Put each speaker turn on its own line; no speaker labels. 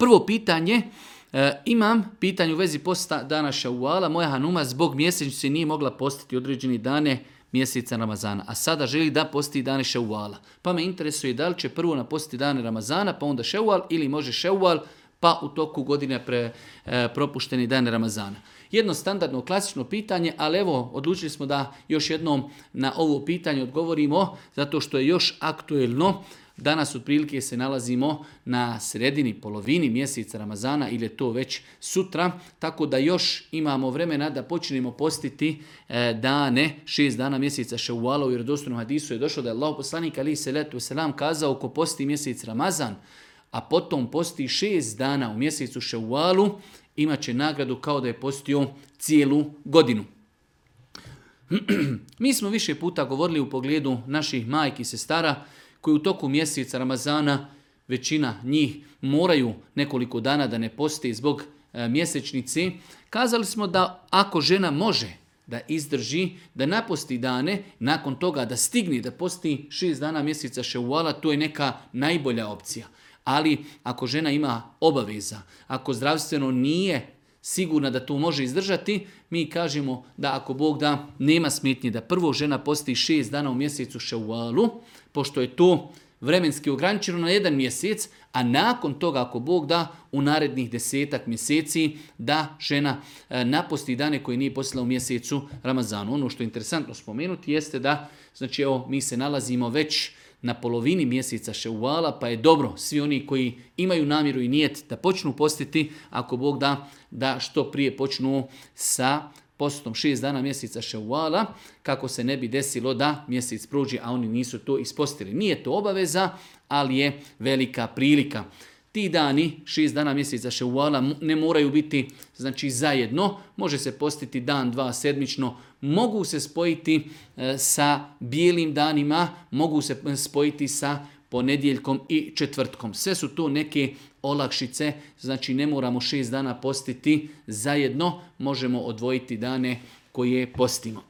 Prvo pitanje, imam pitanje u vezi posta dana Ševala. Moja hanuma zbog mjesečnice nije mogla postiti određeni dane mjeseca Ramazana, a sada želi da posti dane Ševala. Pa me interesuje da li će prvo napostiti dane Ramazana, pa onda Ševal, ili može Ševal, pa u toku godine propušteni dane Ramazana. Jedno standardno klasično pitanje, ali evo odlučili smo da još jednom na ovo pitanje odgovorimo, zato što je još aktuelno. Danas otprilike se nalazimo na sredini, polovini mjeseca Ramazana ili je to već sutra, tako da još imamo vremena da počnemo postiti dane, 6 dana mjeseca Ševala. U vjerodostojnom hadisu je došlo da je Allahov poslanik alejhi selatu vesselam kazao: ko posti mjesec Ramazan, a potom posti 6 dana u mjesecu Ševalu, imat će nagradu kao da je postio cijelu godinu. Mi smo više puta govorili u pogledu naših majki i sestara koji u toku mjeseca Ramazana, većina njih moraju nekoliko dana da ne posti zbog mjesečnice. Kazali smo da ako žena može da izdrži, da naposti dane, nakon toga da stigne da posti 6 dana mjeseca Ševala, to je neka najbolja opcija. Ali ako žena ima obaveza, ako zdravstveno nije sigurna da to može izdržati, mi kažemo da ako Bog da, nema smetnje da prvo žena posti 6 dana u mjesecu Ševalu, pošto je to vremenski ograničeno na 1 mjesec, a nakon toga ako Bog da u narednih 10 mjeseci da žena naposti dane koje nije postila u mjesecu Ramazanu. Ono što je interesantno spomenuti jeste da, znači evo, mi se nalazimo već na polovini mjeseca Ševala, pa je dobro svi oni koji imaju namjeru i nijet da počnu postiti, ako Bog da, da što prije počnu sa postom 6 dana mjeseca Ševala, kako se ne bi desilo da mjesec prođe, a oni nisu to ispostili. Nije to obaveza, ali je velika prilika. Ti dani, 6 dana mjeseca Ševala, ne moraju biti znači zajedno, može se postiti dan, 2 sedmično, mogu se spojiti sa bijelim danima, mogu se spojiti sa ponedjeljkom i četvrtkom. Sve su to neke olakšice, znači ne moramo 6 dana postiti zajedno, možemo odvojiti dane koje postimo.